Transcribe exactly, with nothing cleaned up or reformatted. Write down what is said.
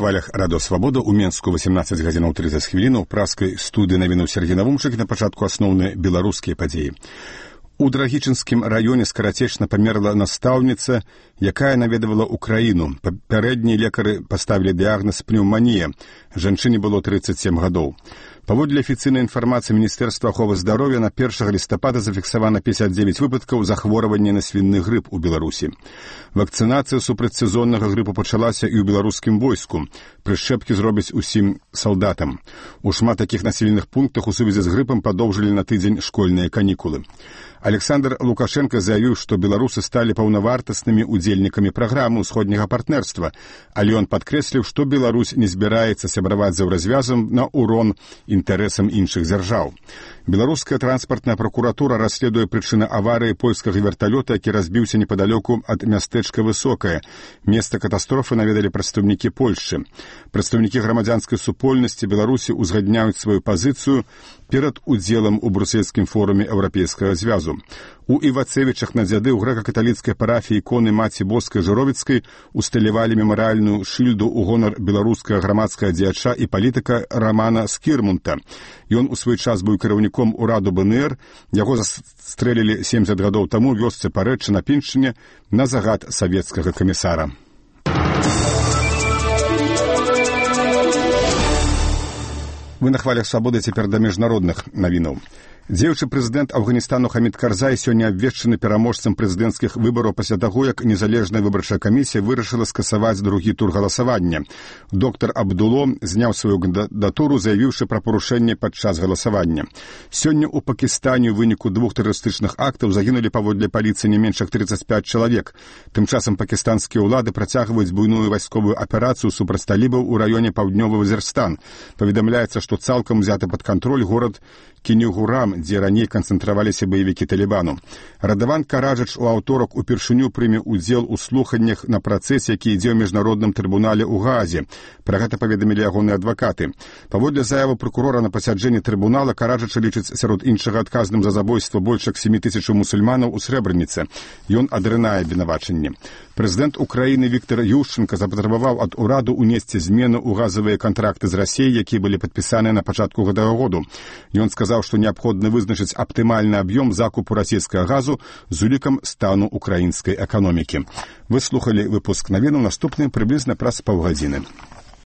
хвалях радыё Свабода ў Менску васемнаццаць гадзінаў трыццаць хвілінаў праскай студыі навінаў Сергей Навумчык. На пачатку асноўныя беларускія падзеі. У Драгічынскім раёне скарацечна памерла настаўніца, якая наведавала ўкраіну. Папярэднія лекары паставілі дыягназ пнеўманія. Жанчыне было трыццаць сем гадоў. Паводле афіцыйнай інфармацыі Міністэрства аховы здароўя на першага лістапада зафіксавана пяцьдзясят дзевяць выпадкаў захворвання на свіны грып у Беларусі. Вакцынацыя супраць сезоннага грыпу пачалася і ў беларускім войску. Прышчэпкі зробяць усім салдатам. У шмат такіх населеных пунктах у сувязі з грыпам падоўжылі на тыдзень школьныя канікулы. Александр Лукашенко заявіў, што беларусы сталі паўнавартаснымі удзельнікамі праграмы ўсходняга партнерства, але ён падкрэсліў, што Беларусь не збіраецца сябраваць за развязам на урон інтарэсам іншых дзяржаў. Беларуская транспартная пракуратура расследуе прычыны аварыі польскага верталёта, які разбіўся непадалёку ад мястэчка Высокае. Месца катастрофы наведалі прадстаўнікі Польшчы. Прадстаўнікі грамадзянскай супольнасці Беларусі узгадняюць сваю пазіцыю перад удзелам у брусельскім форуме Еўрапейскага звязу. У Івацевічах на дзяды ў грэка-каталіцкай парафіі іконы Маці Боскай Журовіцкай усталявалі мемарыяльную шыльду ў гонар беларускага грамадскага дзеяча і палітыка Рамана Скірмунта. Ён у свой час быў кіраўніком ураду БНР, яго застрэлілі семдзесят гадоў таму ў вёсцы Парэчча на Піншчыне на загад савецкага камісара. Вы на хвалях Свабоды, цяпер да міжнародных навінаў. Дзеючы прэзідэнт Афганістану Хамід Карзай сёння абвешчаны пераможцам прэзідэнцкіх выбараў пасля таго, як незалежная выбарчая камісія вырашыла скасаваць другі тур галасавання. Доктар Абдуло зняў сваю кандыдатуру, заявіўшы пра парушэнне падчас галасавання. Сёння ў Пакістане ў выніку двух тэрарыстычных актаў загінулі паводле паліцыі не менш як трыццаць пяць чалавек. Тым часам пакістанскія ўлады працягваюць буйную вайсковую аперацыю супраць талібаў у раёне паўднёвы Вазірстан. Паведамляецца, што цалкам узяты пад кантроль горад Кенігурам, дзе раней канцэнтраваліся баевікі Талібану. Радаван Караджач у аўторак упершыню прыме ўдзел у слуханнях на працэсе, які ідзе ў міжнародным трыбунале ў Гаазе. Пра гэта паведамілі ягоныя адвакаты. Паводле заявы прокурора на пасяджэнні трыбунала, Караджача лічыць сярод іншага адказным за забойства больш як сем тысяч мусульманаў у Срэбраніцы. Ён адрынае абвінавачанне. Прэзідэнт Украіны Віктор Ющенка запатрабаваў ад ураду ўнесці змены ў газавыя кантракты з Расіяй, якія былі падпісаныя на пачатку гэтага году. Ён сказаў, што неабходна вызначыць аптымальны аб'ём закупу расійскага газу з улікам стану украінскай эканомікі. Вы слухалі выпуск навінаў, наступны прыблізна праз паўгадзіны.